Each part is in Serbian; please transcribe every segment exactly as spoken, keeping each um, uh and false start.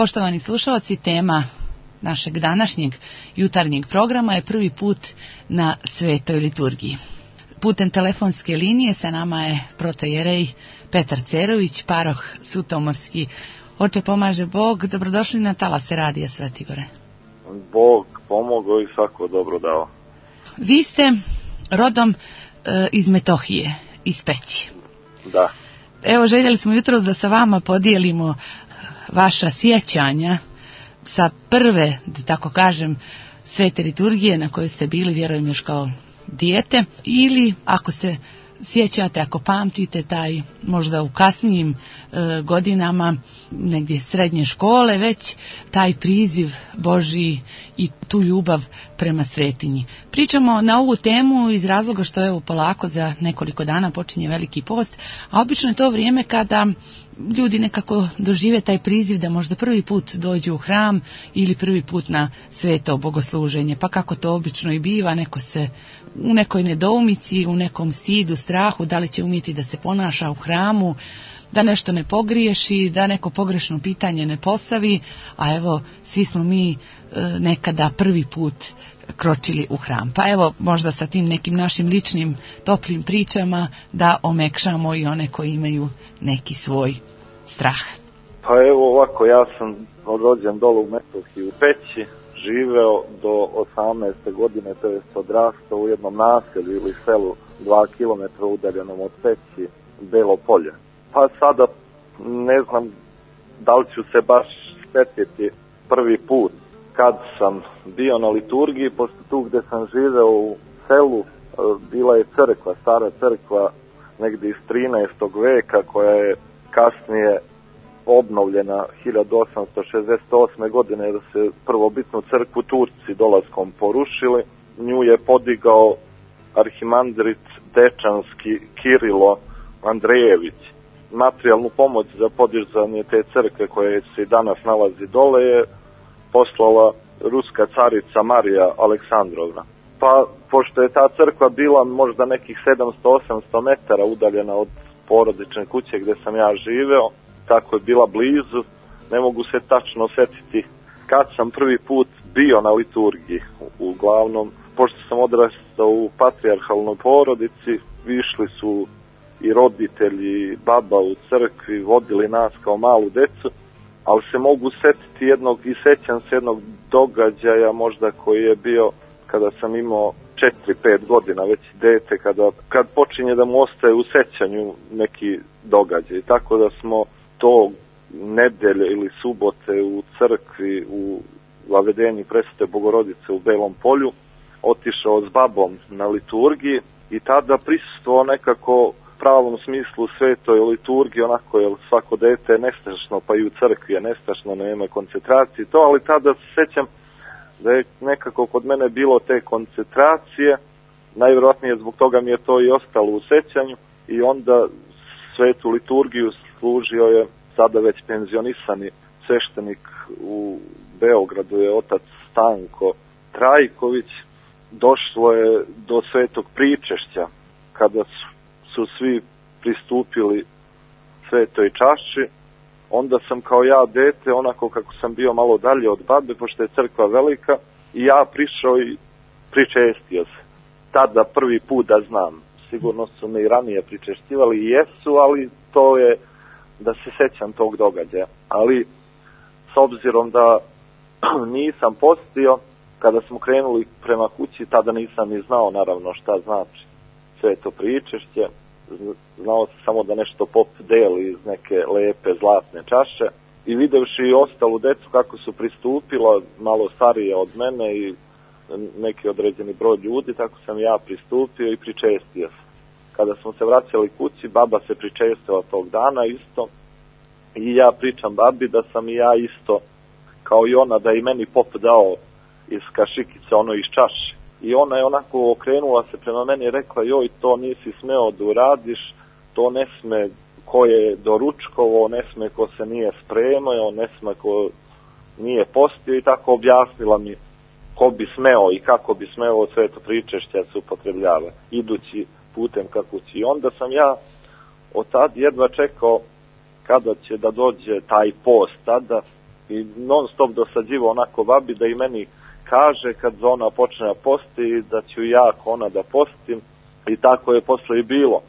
Poštovani slušalci, tema našeg današnjeg jutarnjeg programa je prvi put na svetoj liturgiji. Putem telefonske linije sa nama je protojerej Petar Cerović, paroh Sutomorski. Oče, pomaže Bog, dobrodošli na talase Radija Svetigore. Bog pomogao i svako dobro dao. Vi ste rodom e, iz Metohije, iz Peći. Da. Evo, željeli smo jutros da sa vama podijelimo vaša sjećanja sa prve, da tako kažem, svete liturgije na kojoj ste bili, vjerujem, još kao dijete, ili ako se sjećate, ako pamtite taj možda u kasnijim e, godinama, negdje srednje škole, već taj priziv Božji i tu ljubav prema svetinji. Pričamo na ovu temu iz razloga što evo polako za nekoliko dana počinje Veliki post, a obično je to vrijeme kada ljudi nekako dožive taj priziv da možda prvi put dođu u hram ili prvi put na sveto bogosluženje. Pa kako to obično i biva, neko se u nekoj nedoumici, u nekom stidu, strahu, da li će umjeti da se ponaša u hramu, da nešto ne pogriješi, da neko pogrešno pitanje ne postavi, a evo svi smo mi e, nekada prvi put kročili u hram. Pa evo možda sa tim nekim našim ličnim toplim pričama da omekšamo i one koji imaju neki svoj strah. Pa evo ovako, ja sam rođen dole u Metohiji u Peći, živeo do osamnaeste godine, to jest odrastao u jednom naselju ili selu dva kilometra udaljenom od Peći, Belo Polje. Pa sada ne znam da li ću se baš sjetiti prvi put kad sam bio na liturgiji, pošto tu gdje sam živeo u selu bila je crkva, stara crkva negdje iz trinaestog veka koja je kasnije obnovljena hiljadu osamsto šezdeset osme godine, da se prvobitnu crkvu Turci dolaskom porušili. Nju je podigao arhimandrit Dečanski Kirilo Andrejević. Materijalnu pomoć za podizanje te crkve koje se i danas nalazi dole je poslala ruska carica Marija Aleksandrovna. Pa pošto je ta crkva bila možda nekih sedamsto do osamsto metara udaljena od porodične kuće gdje sam ja živeo, tako je bila blizu, ne mogu se tačno sjetiti kad sam prvi put bio na liturgiji. Uglavnom, pošto sam odrastao u patrijarhalnoj porodici, išli su i roditelji, baba u crkvi, vodili nas kao malu decu, ali se mogu sjetiti jednog, i sjećam se jednog događaja možda koji je bio kada sam imao četiri pet godina, već dete, kada, kad počinje da mu ostaje u sjećanju neki događaj. Tako da smo to nedelje ili subote u crkvi u Vavedenju Presvete Bogorodice u Belom Polju otišao s babom na liturgiji i tada prisustvovao nekako pravom smislu svetoj liturgiji, onako je svako dete je nestašno, pa i u crkvi je nestašno, nema koncentracije to, ali tada se sjećam da je nekako kod mene bilo te koncentracije, najvjerojatnije zbog toga mi je to i ostalo u sjećanju i onda svetu liturgiju služio je sada već penzionisani sveštenik u Beogradu, je otac Stanko Trajković. Došlo je do svetog pričešća kada su su svi pristupili svetoj čaši, onda sam kao ja dete, onako kako sam bio malo dalje od babe, pošto je crkva velika, i ja prišao i pričestio se. Tada prvi put da znam, sigurno su me i ranije pričeštivali i jesu, ali to je da se sećam tog događaja. Ali s obzirom da nisam postio, kada smo krenuli prema kući, tada nisam ni znao naravno šta znači sveto pričešće. Znao sam samo da nešto pop deli iz neke lepe zlatne čaše i videvši i ostalu decu kako su pristupila, malo starije od mene i neki određeni broj ljudi, tako sam ja pristupio i pričestio se. Kada smo se vraćali kući, baba se pričestila tog dana isto i ja pričam babi da sam i ja isto kao i ona, da i meni pop dao iz kašikice, ono iz čaše. I ona je onako okrenula se prema meni i rekla, joj, to nisi smeo da uradiš, to ne sme ko je doručkovo, ne sme ko se nije spremao, ne sme ko nije postio, i tako objasnila mi ko bi smeo i kako bi smeo sveto pričešće se upotrebljava, idući putem ka kući. I onda sam ja od tad jedva čekao kada će da dođe taj post tada, i non stop dosađivo onako babi da i meni kaže kad ona počne da posti da ću ja ona da postim, i tako je posle i bilo.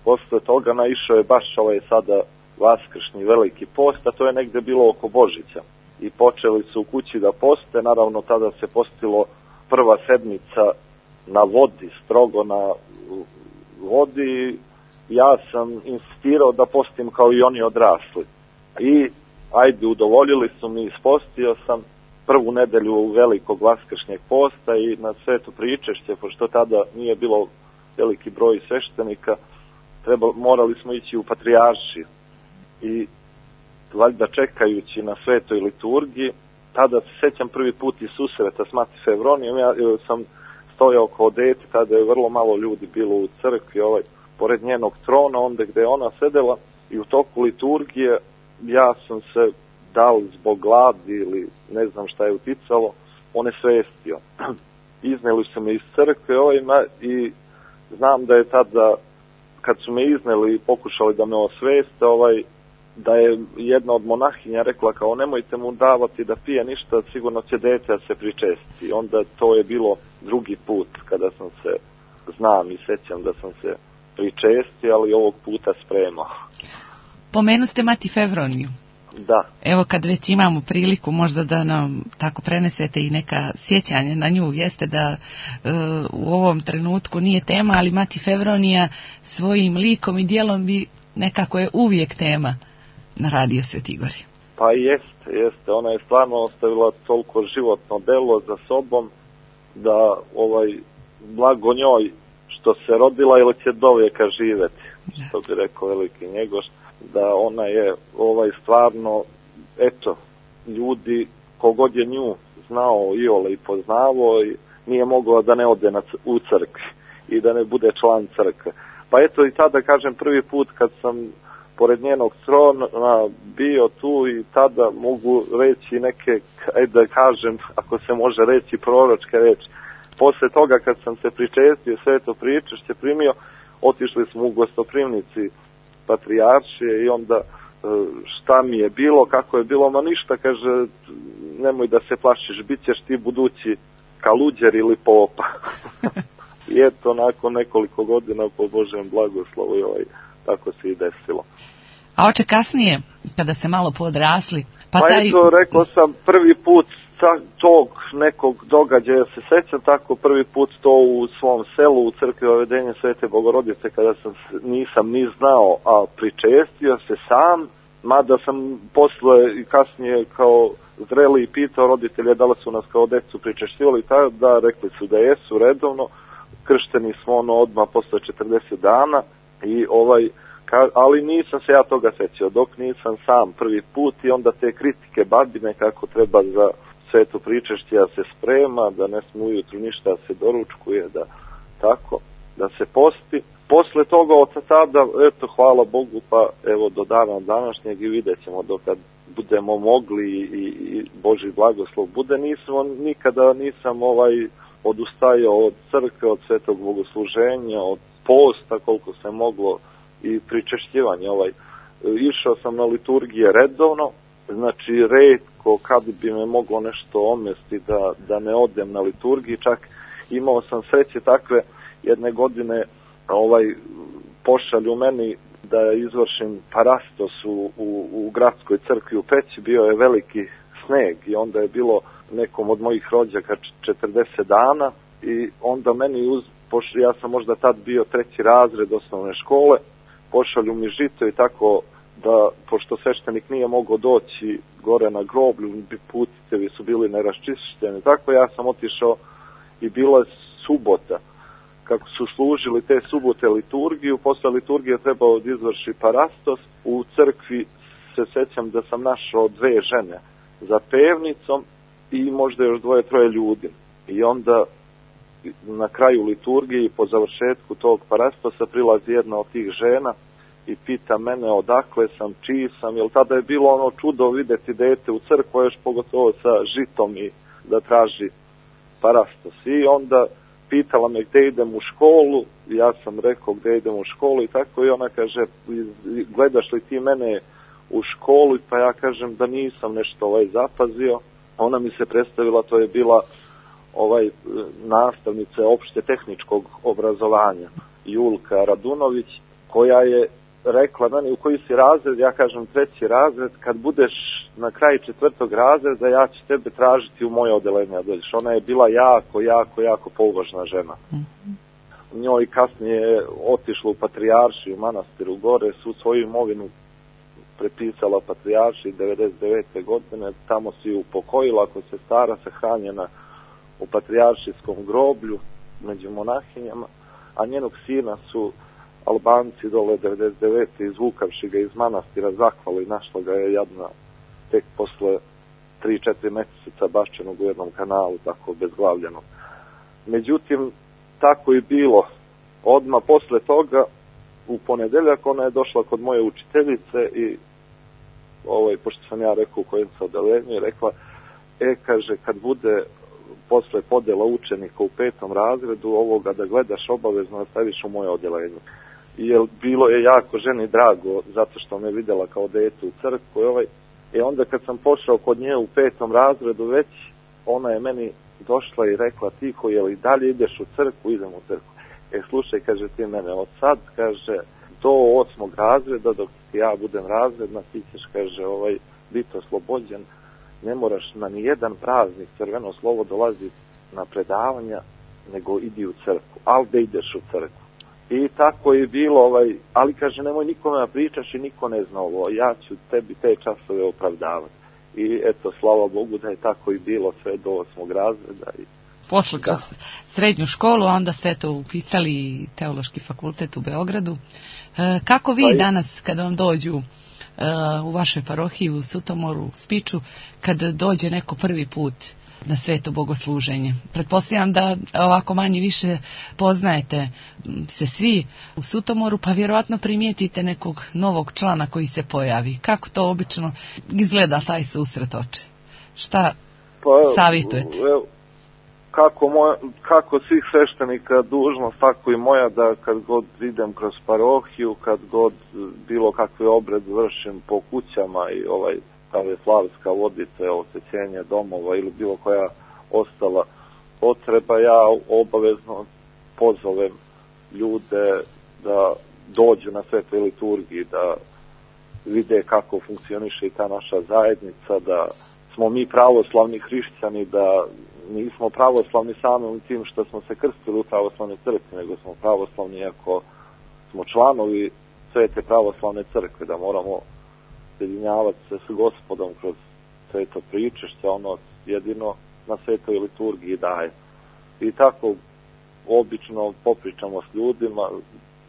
Posle toga naišao je baš ovaj sada vaskršnji veliki post, a to je negde bilo oko Božića. I počeli su u kući da poste, naravno tada se postilo prva sedmica na vodi, strogo na vodi. Ja sam insistirao da postim kao i oni odrasli. I ajde, udovoljili su mi, ispostio sam prvu nedelju velikog vaskršnjeg posta i na Sveto Pričešće, pošto tada nije bilo veliki broj sveštenika, treba, morali smo ići u Patrijaršiju. I valjda čekajući na svetoj liturgiji, tada se sećam prvi put i susreta s Mati Fevronijom, ja sam stojao kao dete, tada je vrlo malo ljudi bilo u crkvi, ovaj, pored njenog trona, onda gde je ona sedela, i u toku liturgije ja sam se, da li zbog gladi ili ne znam šta je uticalo, on je svestio. Izneli su me iz crkve ovaj, i znam da je tada, kad su me izneli i pokušali da me osveste, ovaj, da je jedna od monahinja rekla kao nemojte mu davati da pije ništa, sigurno će dete da se pričesti. Onda to je bilo drugi put kada sam se, znam i sećam da sam se pričesti, ali ovog puta spremao. Pomenu ste Mati Fevroniju. Da. Evo kad već imamo priliku možda da nam tako prenesete i neka sjećanja na nju, jeste da e, u ovom trenutku nije tema, ali Mati Fevronija svojim likom i djelom bi nekako je uvijek tema na Radio Sveti Gori. Pa jeste, jeste. Ona je stvarno ostavila toliko životno delo za sobom da ovaj blago njoj što se rodila ili će do vijeka živjeti, što bi rekao veliki Njegoš, da ona je ovaj stvarno, eto, ljudi kogod je nju znao iole i poznavao, i nije mogla da ne ode na, u crkvi i da ne bude član crkve. Pa eto i tada, kažem, prvi put kad sam pored njenog trona bio tu, i tada mogu reći neke, ajde da kažem, ako se može reći, proročke reči. Posle toga kad sam se pričestio, Sveto Pričešće primio, otišli smo u gostoprimnici Patrijaršije i onda šta mi je bilo, kako je bilo, ma ništa, kaže, nemoj da se plašiš, bit ćeš ti budući kaluđer ili popa. I eto, nakon nekoliko godina, po Božem blagoslovu, ovaj, tako se i desilo. A oče kasnije, kada se malo podrasli? Pa, pa taj... eto, rekao sam, prvi put tog nekog događaja se sećam, tako prvi put to u svom selu, u crkvi Vavedenja Svete Bogorodice, kada sam nisam ni znao, a pričestio se sam, mada sam posle i kasnije kao zreli i pitao roditelje da li su nas kao decu pričešćivali, da, rekli su da jesu redovno, kršteni smo ono odmah posle četrdeset dana, i ovaj, ka, ali nisam se ja toga sećao, dok nisam sam prvi put, i onda te kritike babine kako treba za Sveto Pričešće da se sprema, da ne sme ujutru ništa da se doručkuje, da tako, da se posti. Posle toga od tada, eto, hvala Bogu, pa evo do dana današnjeg i vidjet ćemo dokad budemo mogli i, i, i Boži blagoslov bude. Nismo, nikada nisam ovaj odustajao od crkve, od svetog bogosluženja, od posta koliko se moglo i pričešćivanja. Ovaj. Išao sam na liturgije redovno, znači retko kad bi me moglo nešto omesti da, da ne odem na liturgiji, čak imao sam sreće takve jedne godine, ovaj, pošalju meni da izvršim parastos u, u, u gradskoj crkvi u Peći, bio je veliki sneg i onda je bilo nekom od mojih rođaka četrdeset dana i onda meni, uz, pošalju, ja sam možda tad bio treći razred osnovne škole, pošalju mi žito i tako da, pošto sveštenik nije mogao doći gore na groblju, putitevi su bili neraščišćeni, tako ja sam otišao i bila subota, kako su služili te subote liturgiju, posle liturgije trebao da izvrši parastos, u crkvi se sećam da sam našao dve žene za pevnicom i možda još dvoje, troje ljudi. I onda na kraju liturgije i po završetku tog parastosa prilazi jedna od tih žena i pita mene odakle sam, čiji sam, jer tada je bilo ono čudo videti dete u crkvu, još pogotovo sa žitom i da traži parastos. I onda pitala me gde idem u školu, ja sam rekao gde idem u školu i tako, i ona kaže, gledaš li ti mene u školu, pa ja kažem da nisam nešto ovaj zapazio. Ona mi se predstavila, to je bila ovaj nastavnica opšte tehničkog obrazovanja, Julka Radunović, koja je rekla meni u koji si razred, ja kažem treći razred, kad budeš na kraju četvrtog razreda, ja ću tebe tražiti u moje odelenje. Ona je bila jako, jako, jako pouvažna žena. Mm-hmm. Njoj kasnije je otišla u Patrijaršiju, manastiru gore, su svoju imovinu prepisala Patrijaršiji devedeset devete godine, tamo si ju upokojila, ako se stara, sahranjena u Patrijaršijskom groblju među monahinjama, a njenog sina su Albanci dole devedeset devete izvukavši ga iz manastira zahvali, našla ga je jadna tek posle tri četiri meseca baščenog u jednom kanalu, tako bezglavljenog. Međutim, tako je bilo. Odmah posle toga, u ponedeljak, ona je došla kod moje učiteljice i, ovaj, pošto sam ja rekao u kojem se odelenju, je rekla, e, kaže, kad bude posle podela učenika u petom razredu, ovoga da gledaš obavezno da staviš u moje odelenje. Jer bilo je jako ženi drago, zato što me vidjela kao dete u crkvu. Ovaj, I onda kad sam pošao kod nje u petom razredu već, ona je meni došla i rekla, tiho, je li dalje ideš u crkvu? Idem u crkvu. E, slušaj, kaže, ti mene od sad, kaže, do osmog razreda, dok ja budem razredna, ti ćeš, kaže, ovaj, biti oslobođen, ne moraš na nijedan praznik, crveno slovo, dolazi na predavanja, nego idi u crkvu, ali da ideš u crkvu. I tako je bilo, ovaj, ali kaže, nemoj nikome da pričaš i niko ne zna ovo, ja ću tebi te časove opravdavati. I eto, slava Bogu da je tako i bilo sve do osmog razreda. I pošli kroz srednju školu, a onda ste to upisali Teološki fakultet u Beogradu. E, kako vi pa danas, kada vam dođu e, u vašoj parohiji u Sutomoru, u Spiču, kada dođe neko prvi put na sveto bogosluženje? Pretpostavljam da ovako manje više poznajete se svi u Sutomoru, pa vjerojatno primijetite nekog novog člana koji se pojavi. Kako to obično izgleda taj susret oče? Šta pa, savjetujete? Evo, kako, moja, kako svih sveštenika dužnost, tako i moja, da kad god idem kroz parohiju, kad god bilo kakve obred vršim po kućama i ovaj slavska vodice, osvećenje domova ili bilo koja ostala potreba, ja obavezno pozovem ljude da dođu na svetoj liturgiji, da vide kako funkcioniše i ta naša zajednica, da smo mi pravoslavni hrišćani, da nismo pravoslavni samim tim što smo se krstili u pravoslavnoj crkvi, nego smo pravoslavni ako smo članovi svete pravoslavne crkve, da moramo sjedinjavati se s Gospodom kroz sveto pričešće, ono jedino na svetoj liturgiji daje. I tako obično popričamo s ljudima,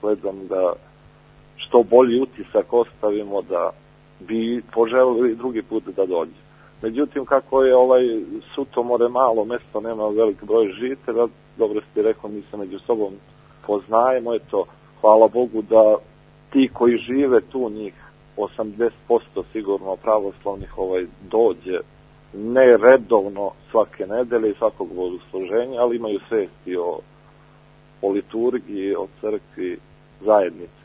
gledam da što bolji utisak ostavimo, da bi poželili drugi put da dođe. Međutim, kako je ovaj Sutomore malo mesto, nema velik broj žitelja, dobro ste rekao, mi se među sobom poznajemo, eto, hvala Bogu da ti koji žive tu, njih osamdeset posto sigurno pravoslavnih ovaj dođe, ne redovno svake nedelje i svakog bogosluženja, ali imaju svesti o, o liturgiji, o crkvi, zajednici.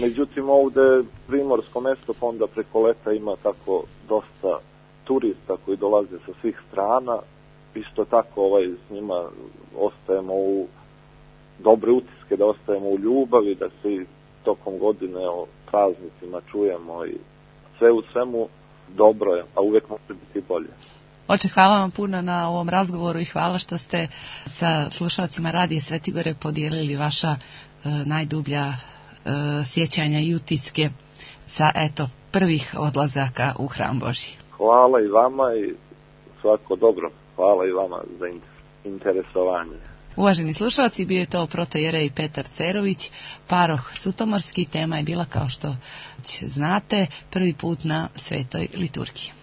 Međutim, ovde primorsko mesto, pa onda preko leta ima tako dosta turista koji dolaze sa svih strana, isto tako ovaj, s njima ostajemo u dobre utiske, da ostajemo u ljubavi, da se i tokom godine o praznicima čujemo i sve u svemu dobro je, a uvijek može biti bolje. Oče, hvala vam puno na ovom razgovoru i hvala što ste sa slušalcima Radija Svetigore podijelili vaša e, najdublja e, sjećanja i utiske sa, eto, prvih odlazaka u Hram Božji. Hvala i vama i svako dobro. Hvala i vama za interesovanje. Uvaženi slušalci, bio je to protojerej Petar Cerović, paroh Sutomorski. Tema je bila, kao što znate, prvi put na svetoj liturgiji.